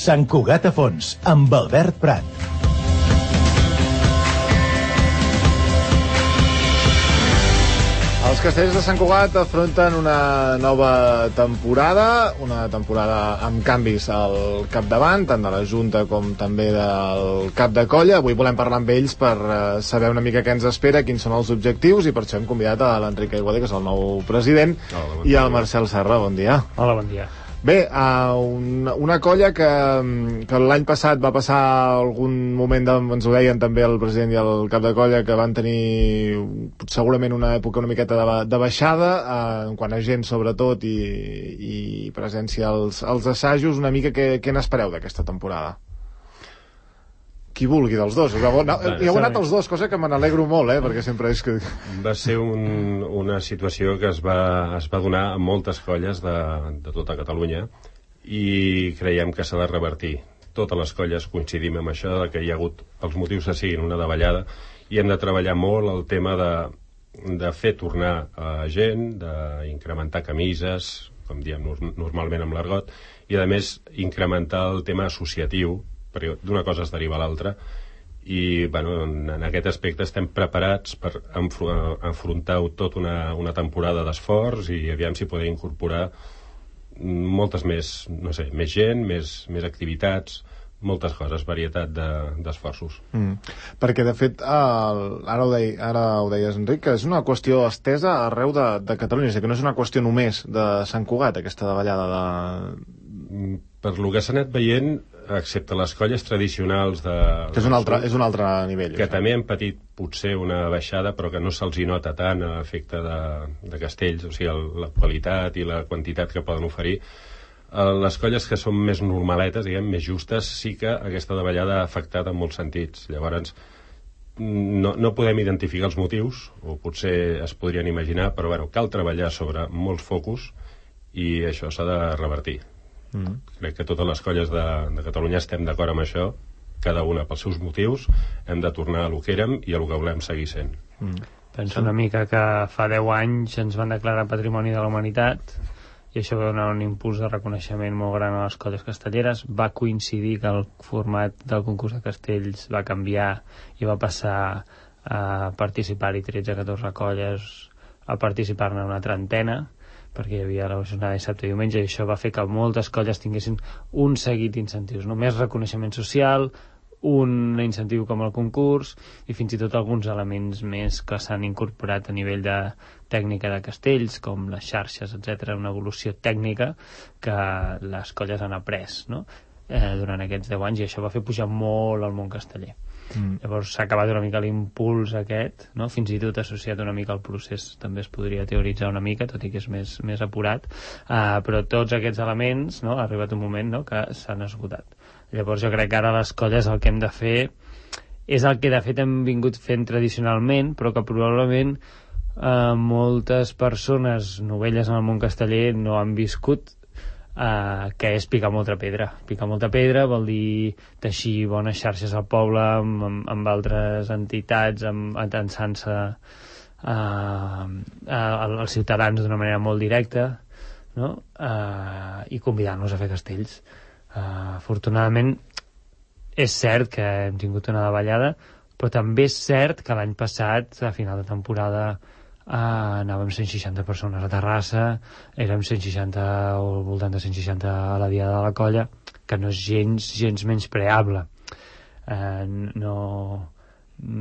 Sant Cugat a fons, amb Albert Prat. Els castells de Sant Cugat afronten una nova temporada amb canvis al capdavant, tant de la Junta com també del cap de colla. Avui volem parlar amb ells per saber una mica què ens espera, quins són els objectius, i per això hem convidat a l'Enric Aiguader, que és el nou president, i al Marcel Serra. Bon dia. Hola, bon dia. Bé, una colla que l'any passat va passar algun moment, ens ho deien també el president i el cap de colla, que van tenir segurament una època una miqueta de baixada, en quant a gent sobretot i presència als assajos. Una mica què n'espereu d'aquesta temporada? Qui vulgui dels dos. Hi heu anat els dos, cosa que me n'alegro molt, perquè sempre és que... Va ser una situació que es va donar a moltes colles de tota Catalunya i creiem que s'ha de revertir. Totes les colles coincidim amb això, que hi ha hagut els motius que siguin una davallada, i hem de treballar molt el tema de fer tornar a gent, d'incrementar camises, com diem normalment amb l'argot, i a més incrementar el tema associatiu, perquè d'una cosa es deriva a l'altra, i en aquest aspecte estem preparats per enfrontar tot una temporada d'esforç, i aviam si podem incorporar moltes més gent, més activitats, moltes coses, varietat d'esforços. Perquè de fet ara ho deies, Enric, que és una qüestió estesa arreu de Catalunya, és a dir, que no és una qüestió només de Sant Cugat, aquesta davallada Per lo que s'ha anat veient, excepte les colles tradicionals que és un altre nivell, que també han patit potser una baixada, però que no se'ls hi nota tant a efecte de castells, o sigui, la qualitat i la quantitat que poden oferir. Les colles que són més normaletes, diguem, més justes, sí que aquesta davallada ha afectat en molts sentits. Llavors no podem identificar els motius, o potser es podrien imaginar, però cal treballar sobre molts focus i això s'ha de revertir. Crec que totes les colles de Catalunya estem d'acord amb això, cada una pels seus motius. Hem de tornar a lo que érem i a lo que volem seguir sent. Penso una mica que fa 10 anys ens van declarar Patrimoni de la Humanitat i això va donar un impuls de reconeixement molt gran a les colles castelleres. Va coincidir que el format del concurs de castells va canviar i va passar a participar-hi 13-14 colles a participar-ne una trentena, perquè hi havia la jornada de dissabte i diumenge, i això va fer que moltes colles tinguessin un seguit d'incentius, més reconeixement social, un incentiu com el concurs i fins i tot alguns elements més que s'han incorporat a nivell de tècnica de castells, com les xarxes, etc., una evolució tècnica que les colles han après durant aquests 10 anys, i això va fer pujar molt el món casteller. Llavors s'ha acabat una mica l'impuls aquest, fins i tot associat una mica al procés també es podria teoritzar una mica, tot i que és més apurat, però tots aquests elements ha arribat un moment que s'han esgotat. Llavors jo crec que ara les colles el que hem de fer és el que de fet hem vingut fent tradicionalment, però que probablement moltes persones novelles en el món casteller no han viscut, que és picar molta pedra. Picar molta pedra vol dir teixir bones xarxes al poble amb altres entitats, atensant-se als ciutadans d'una manera molt directa, i convidant-los a fer castells. Afortunadament és cert que hem tingut una davallada, però també és cert que l'any passat, a final de temporada, anàvem 160 persones a Terrassa, érem 160 o al voltant de 160 a la Diada de la Colla, que no és gens menyspreable. No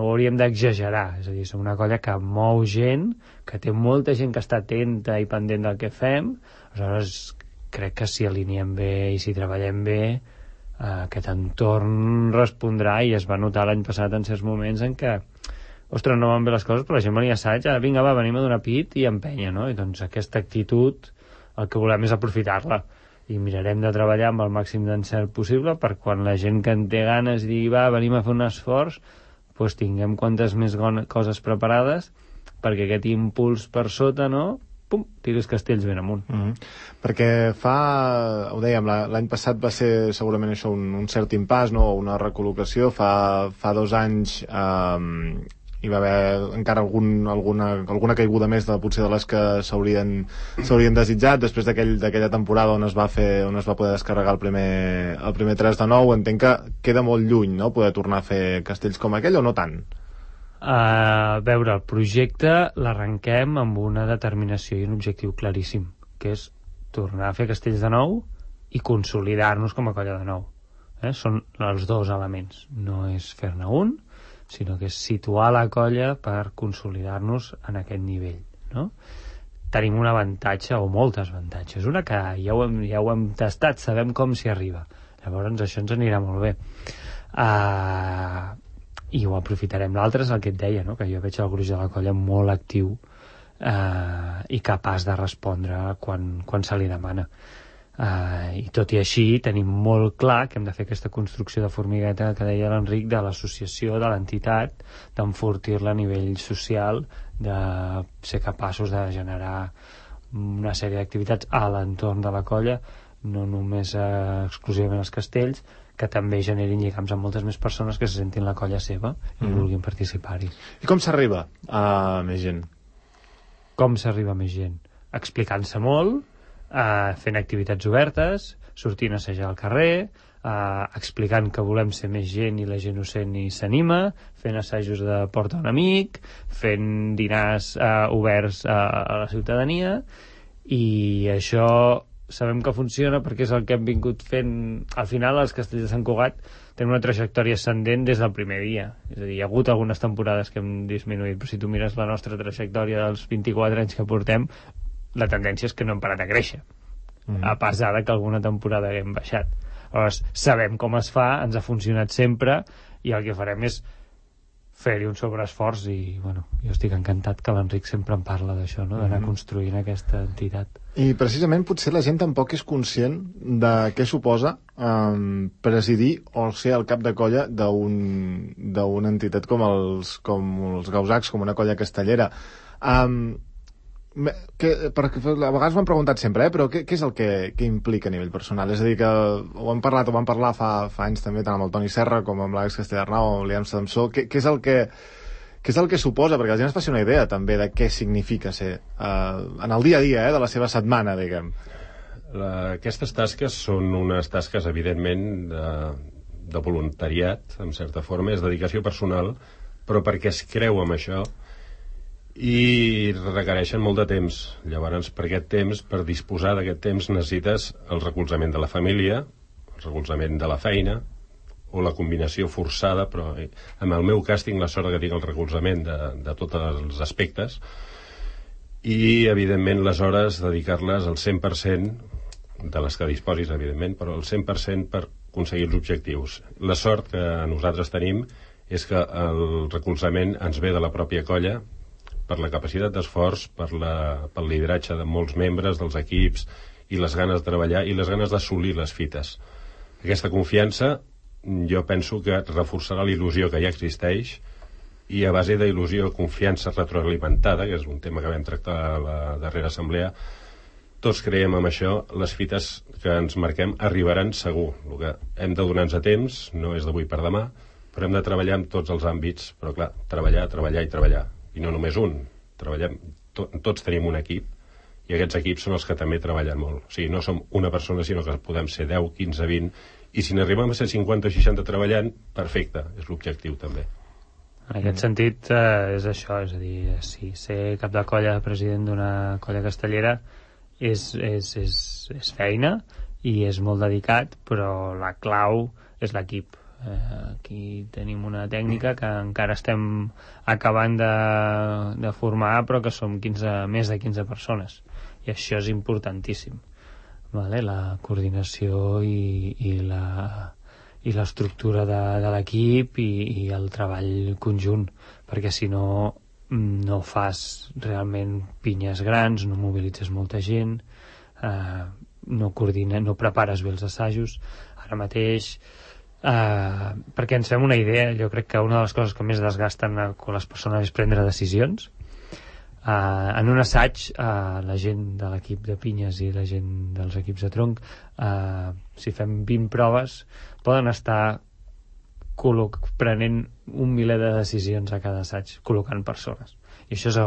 hauríem d'exagerar, és a dir, som una colla que mou gent, que té molta gent que està atenta i pendent del que fem. Aleshores crec que si aliniem bé i si treballem bé, aquest entorn respondrà, i es va notar l'any passat en certs moments en què ostres, no van bé les coses, però la gent venia a assaig, ara vinga, venim a donar pit i empenya, I doncs aquesta actitud el que volem és aprofitar-la, i mirarem de treballar amb el màxim d'encert possible per quan la gent que en té ganes digui, venim a fer un esforç, doncs tinguem quantes més coses preparades perquè aquest impuls per sota, tiris castells ben amunt. Perquè ho dèiem, l'any passat va ser segurament això un cert impàs, una recol·locació. Fa 2 anys hi va haver encara alguna caiguda més potser de les que s'haurien desitjat després d'aquella temporada on es va poder descarregar el primer 3 de 9. Entenc que queda molt lluny, no?, poder tornar a fer castells com aquell, o no tant? A veure, el projecte l'arrenquem amb una determinació i un objectiu claríssim, que és tornar a fer castells de nou i consolidar-nos com a colla de nou. Són els dos elements, no és fer-ne un, sinó que és situar la colla per consolidar-nos en aquest nivell, no? Tenim un avantatge, o molts avantatges. Una que ja ho hem tastat, sabem com s'hi arriba. Llavors això ens anirà molt bé. I ho aprofitarem. L'altre és el que et deia, no?, que jo veig el gruix de la colla molt actiu i capaç de respondre quan se li demana. I tot i així tenim molt clar que hem de fer aquesta construcció de formigueta que deia l'Enric, de l'associació, de l'entitat, d'enfortir-la a nivell social, de ser capaços de generar una sèrie d'activitats a l'entorn de la colla, no només exclusivament els castells, que també generin lligams amb moltes més persones que se sentin la colla seva i vulguin participar-hi. I com s'arriba a més gent? Com s'arriba a més gent? Explicant-se molt, fent activitats obertes, sortint a assajar al carrer, explicant que volem ser més gent i la gent ho sent i s'anima, fent assajos de porta un amic, fent dinars oberts a la ciutadania, i això sabem que funciona perquè és el que hem vingut fent. Al final els castells de Sant Cugat tenen una trajectòria ascendent des del primer dia, és a dir, hi ha hagut algunes temporades que hem disminuït, però si tu mires la nostra trajectòria dels 24 anys que portem, la tendència és que no hem parat a créixer, a pesar que alguna temporada hem baixat. Llavors, sabem com es fa, ens ha funcionat sempre, i el que farem és fer-hi un sobreesforç, i bueno, jo estic encantat que l'Enric sempre en parla d'això, no?, d'anar construint aquesta entitat. I precisament potser la gent tampoc és conscient de què suposa presidir o ser el cap de colla d'una entitat com els Gausacs, com una colla castellera. Perquè a vegades m'han preguntat sempre, però què és el que implica a nivell personal? És a dir, que ho vam parlar fa anys també, tant amb el Toni Serra com amb l'Àlex Castellarnau o amb l'Ian Samsó. Què és el que suposa? Perquè la gent es faci una idea també de què significa ser en el dia a dia de la seva setmana, diguem. Aquestes tasques són unes tasques evidentment de voluntariat, en certa forma, és dedicació personal, però perquè es creu amb això i requereixen molt de temps. Llavors, per aquest temps, per disposar d'aquest temps, necessites el recolzament de la família, el recolzament de la feina, o la combinació forçada, però en el meu cas tinc la sort que tinc el recolzament de tots els aspectes, i evidentment les hores dedicar-les al 100% de les que disposis, evidentment, però el 100% per aconseguir els objectius. La sort que nosaltres tenim és que el recolzament ens ve de la pròpia colla, per la capacitat d'esforç, pel lideratge de molts membres dels equips, i les ganes de treballar i les ganes d'assolir les fites. Aquesta confiança jo penso que reforçarà la il·lusió que ja existeix, i a base d'il·lusió, confiança retroalimentada, que és un tema que vam tractar a la darrera assemblea, tots creiem en això, les fites que ens marquem arribaran segur. El que hem de donar-nos a temps, no és d'avui per demà, però hem de treballar en tots els àmbits, però clar, treballar i treballar. I no només un, tots tenim un equip, i aquests equips són els que també treballen molt. O sigui, no som una persona, sinó que podem ser 10, 15, 20, i si n'arribem a ser 50 o 60 treballant, perfecte, és l'objectiu també. En aquest sentit és això, és a dir, sí, ser cap de colla, president d'una colla castellera és feina i és molt dedicat, però la clau és l'equip. Aquí tenim una tècnica que encara estem acabant de formar, però que som més de 15 persones, i això és importantíssim, vale? La coordinació i l'estructura de l'equip i el treball conjunt, perquè si no fas realment pinyes grans, no mobilitzes molta gent, no coordines, no prepares bé els assajos. Ara mateix perquè ens fem una idea, jo crec que una de les coses que més desgasten quan les persones és prendre decisions. En un assaig, la gent de l'equip de pinyes i la gent dels equips de tronc, si fem 20 proves, poden estar prenent un miler de decisions a cada assaig, col·locant persones, i això és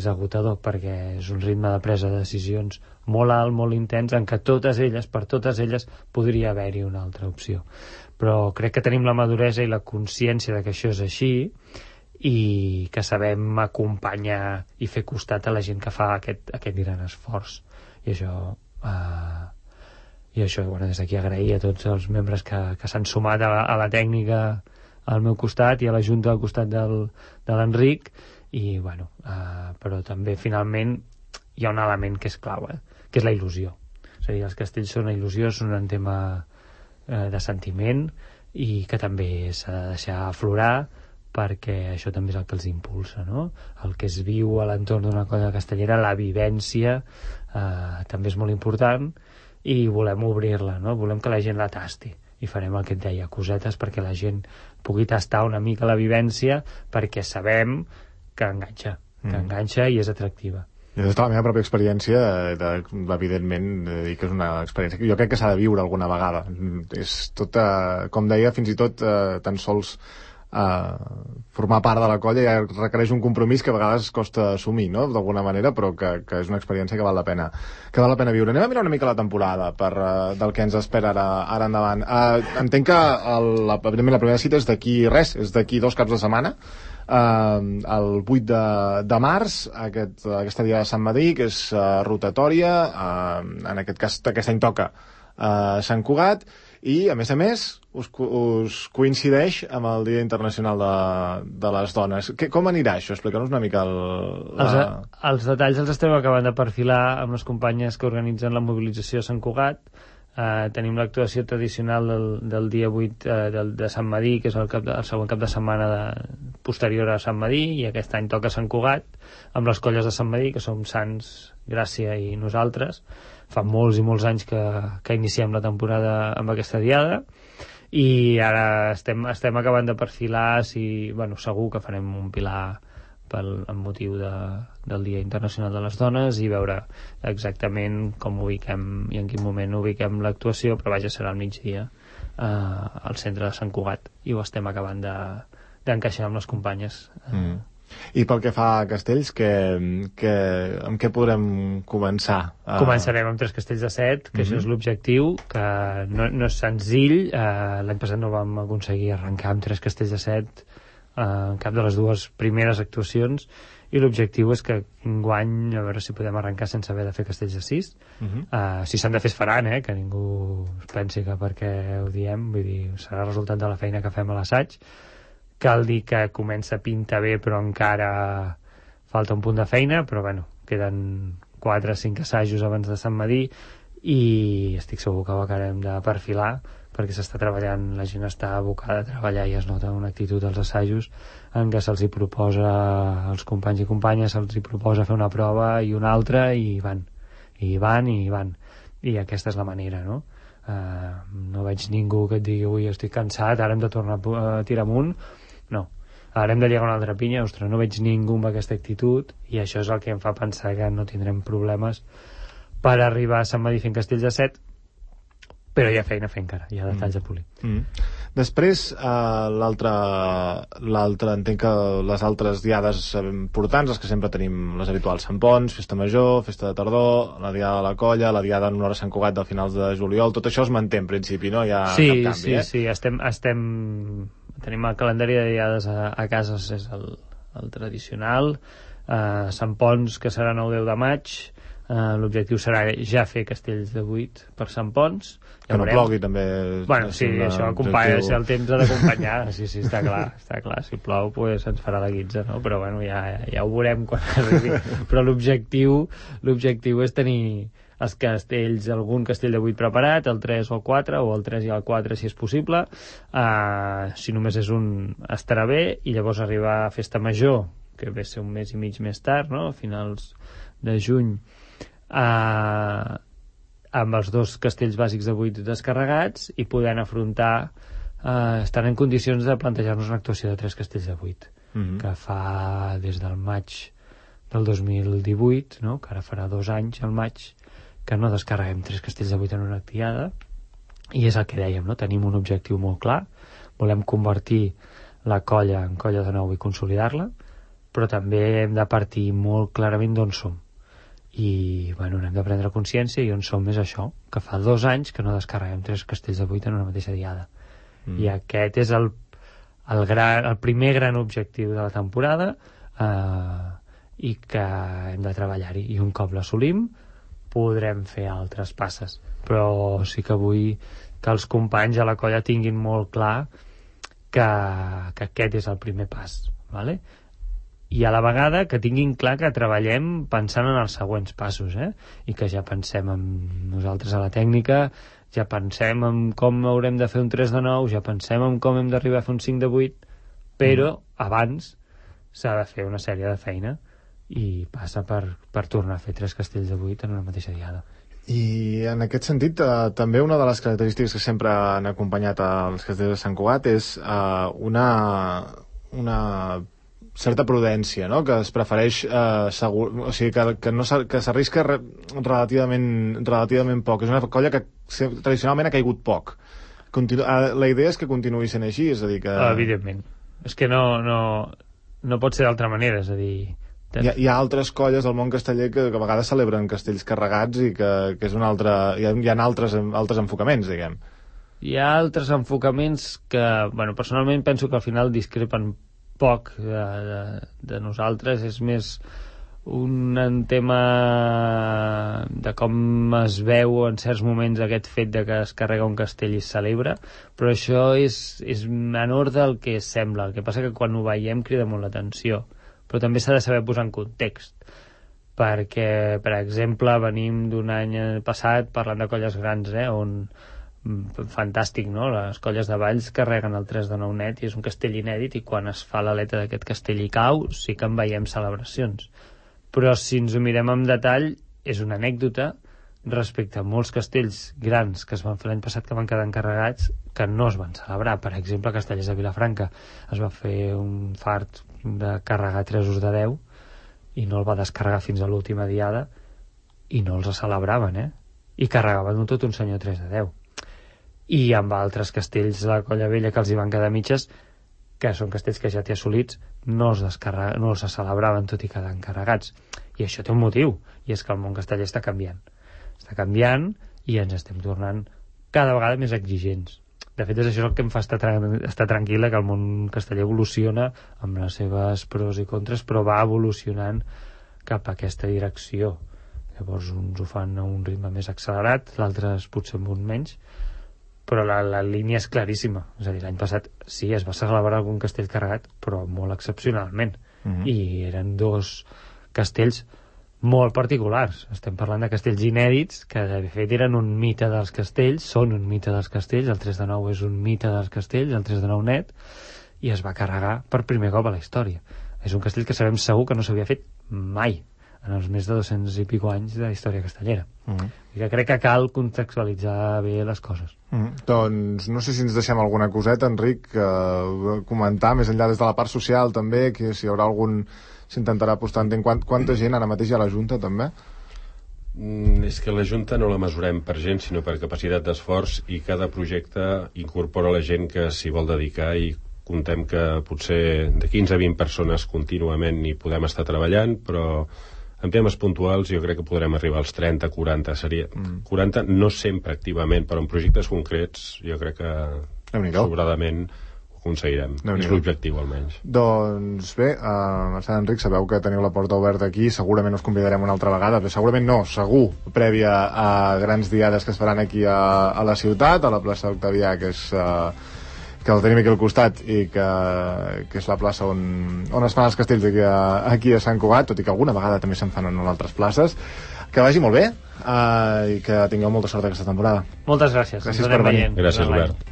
agotador perquè és un ritme de presa de decisions molt alt, molt intens, en què per totes elles podria haver-hi una altra opció, però crec que tenim la maduresa i la consciència de que això és així i que sabem acompanyar i fer costat a la gent que fa aquest gran esforç, i això bueno, des d'aquí agrair a tots els membres que s'han sumat a la tècnica al meu costat i a la Junta al costat de l'Enric, i bueno, però també finalment hi ha un element que és clau, que és la il·lusió. És a dir, els castells són una il·lusió, són un tema de sentiment i que també s'ha de deixar aflorar, perquè això també és el que els impulsa, no? El que es viu a l'entorn d'una colla castellera, la vivència també és molt important, i volem obrir-la, no? Volem que la gent la tasti, i farem el que et deia, cosetes perquè la gent pugui tastar una mica la vivència, perquè sabem que enganxa i és atractiva. I des de la meva pròpia experiència, evidentment, dir que és una experiència que jo crec que s'ha de viure alguna vegada. És tot, com deia, fins i tot tan sols formar part de la colla ja requereix un compromís que a vegades costa assumir, no?, d'alguna manera, però que és una experiència que val la pena viure. Anem a mirar una mica la temporada del que ens espera ara endavant. Entenc que evidentment la primera cita és d'aquí 2 caps de setmana, el 8 de març, aquesta dia de Sant Madí, que és rotatòria, en aquest cas aquest any toca Sant Cugat, i a més us coincideix amb el Dia Internacional de les Dones. Com anirà això? Explica'ns una mica els detalls els estem acabant de perfilar amb les companyes que organitzen la mobilització a Sant Cugat. Tenim l'actuació tradicional del dia 8 de Sant Madí, que és el següent cap de setmana posterior a Sant Madí, i aquest any toca Sant Cugat amb les colles de Sant Madí, que som Sants, Gràcia i nosaltres. Fa molts i molts anys que iniciem la temporada amb aquesta diada, i ara estem acabant de perfilar segur que farem un pilar amb motiu del Dia Internacional de les Dones, i veure exactament com ubiquem i en quin moment ubiquem l'actuació, però vaja, serà al migdia al centre de Sant Cugat, i ho estem acabant d'encaixar amb les companyes. I pel que fa a castells, amb què podrem començar? Començarem amb 3 castells de 7, que això és l'objectiu, que no és senzill. L'any passat no vam aconseguir arrencar amb 3 castells de 7 en cap de les 2 primeres actuacions, i l'objectiu és que enguany a veure si podem arrencar sense haver de fer castells de 6. Si s'han de fer es faran, que ningú es pensi que perquè ho diem, vull dir, serà el resultat de la feina que fem a l'assaig. Cal dir que comença a pintar bé, però encara falta un punt de feina, però bueno, queden 4 o 5 assajos abans de Sant Madí, i estic segur que ho acabarem de perfilar, perquè s'està treballant, la gent està abocada a treballar, i es nota una actitud als assajos en què se'ls hi proposa, als companys i companyes se'ls hi proposa fer una prova i una altra, i van, i aquesta és la manera, no? No veig ningú que et digui ui, estic cansat, ara hem de tornar a tirar amunt. No, ara hem de llegar una altra pinya. Ostres, no veig ningú amb aquesta actitud, i això és el que em fa pensar que no tindrem problemes per arribar a Sant Madí fent castells de 7, però hi ha feina a fer encara, hi ha detalls a polir. Després, l'altre, entenc que les altres diades importants, les que sempre tenim, les habituals, Sant Pons, Festa Major, Festa de Tardor, la diada de la Colla, la diada en honor a Sant Cugat del finals de juliol, tot això es manté en principi, no hi ha cap canvi, Sí, tenim el calendari de diades a casa, és el tradicional. Sant Pons, que serà 9-10 de maig, l'objectiu serà ja fer castells de 8 per Sant Pons, que no plogui també. Bueno, sí, això acompanya, el temps ha d'acompanyar. Sí, està clar, si plou pues ens farà la guitza, no? Però bueno, ja ho veurem quan arribi. Però l'objectiu és tenir els castells, algun castell de 8 preparat, el 3 o el 4, o el 3 i el 4 si és possible. Si només és un, estarà bé, i llavors arribar a Festa Major, que ve a ser un mes i mig més tard, no? A finals de juny, amb els 2 castells bàsics de 8 descarregats, i podent afrontar, estan en condicions de plantejar-nos una actuació de 3 castells de 8, que fa des del maig del 2018, no? Que ara farà 2 anys al maig que no descarreguem 3 castells de 8 en una actiada, I és el que dèiem, no? Tenim un objectiu molt clar, volem convertir la colla en colla de nou i consolidar-la, però també hem de partir molt clarament d'on som. I bueno, hem de prendre consciència, i on som és això, que fa 2 anys que no descarreguem 3 castells de 8 en una mateixa diada. I aquest és el primer gran objectiu de la temporada, i que hem de treballar-hi, i un cop l'assolim podrem fer altres passes, però sí que vull que els companys a la colla tinguin molt clar que aquest és el primer pas, vale? I a la vegada que tinguin clar que treballem pensant en els següents passos, i que ja pensem en nosaltres a la tècnica, ja pensem en com haurem de fer un 3 de 9, ja pensem en com hem d'arribar a fer un 5 de 8, però abans s'ha de fer una sèrie de feina, i passa per tornar a fer 3 castells de 8 en una mateixa diada. I en aquest sentit, també una de les característiques que sempre han acompanyat els castells de Sant Cugat és una certa prudència, no? Que es prefereix o sigui, que s'arrisca relativament poc. És una colla que tradicionalment ha caigut poc. La idea és que continuï sent així, és a dir que... Evidentment. És que no pot ser d'altra manera, és a dir... Hi ha altres colles del món casteller que a vegades celebren castells carregats i que és un altre... Hi ha altres enfocaments, diguem. Hi ha altres enfocaments que, bueno, personalment penso que al final discrepen poc de nosaltres. És més un tema de com es veu en certs moments aquest fet de que es carrega un castell i es celebra, però això és menor del que sembla. El que passa que quan ho veiem crida molt l'atenció, però també s'ha de saber posar en context, perquè, per exemple, venim d'un any passat parlant de colles grans, on fantàstic, no? Les colles de Valls carreguen el 3 de 9 net i és un castell inèdit, i quan es fa l'aleta d'aquest castell i cau sí que en veiem celebracions, però si ens ho mirem amb detall és una anècdota respecte a molts castells grans que es van fer l'any passat que van quedar encarregats que no es van celebrar. Per exemple, a Castellers de Vilafranca es va fer un fart de carregar 3 de 10 i no el va descarregar fins a l'última diada i no els celebraven, i carregaven tot un senyor 3 de 10. I amb altres castells de la Colla Vella que els hi van quedar mitges, que són castells que ja té assolits, no els celebraven tot i quedar encarregats. I això té un motiu, i és que el món casteller està canviant i ens estem tornant cada vegada més exigents. De fet, és això el que em fa estar tranquil·la, que el món casteller evoluciona amb les seves pros i contres, però va evolucionant cap a aquesta direcció. Llavors uns ho fan a un ritme més accelerat, l'altres potser amb un menys, però la línia és claríssima. És a dir, l'any passat sí, es va celebrar algun castell carregat, però molt excepcionalment. I eren 2 castells molt particulars. Estem parlant de castells inèdits que de fet eren un mite dels castells, són un mite dels castells. El 3 de 9 és un mite dels castells, el 3 de 9 net, i es va carregar per primer cop a la història. És un castell que sabem segur que no s'havia fet mai en els més de 200 i pico anys de història castellera. I que crec que cal contextualitzar bé les coses. Doncs no sé si ens deixem alguna coseta, Enric, comentar més enllà des de la part social també, que si hi haurà algun... s'intentarà apostar en quanta gent ara mateix hi ha a la Junta també? És que la Junta no la mesurem per gent sinó per capacitat d'esforç, i cada projecte incorpora la gent que s'hi vol dedicar, i contem que potser de 15 a 20 persones contínuament hi podem estar treballant, però en temes puntuals jo crec que podrem arribar als 30, 40, seria 40 no sempre activament, però en projectes concrets jo crec que sobradament aconseguirem. És l'objectiu, almenys. Doncs bé, Mercè, Enric, sabeu que teniu la porta oberta aquí, segurament us convidarem una altra vegada, però segurament no, segur, prèvia a grans diades que es faran aquí a la ciutat, a la plaça Octavià, que el tenim aquí al costat, i que és la plaça on es fan els castells aquí a Sant Cugat, tot i que alguna vegada també se'n fan en altres places. Que vagi molt bé i que tingueu molta sort aquesta temporada. Moltes gràcies. Gràcies per venir. Gràcies, Albert.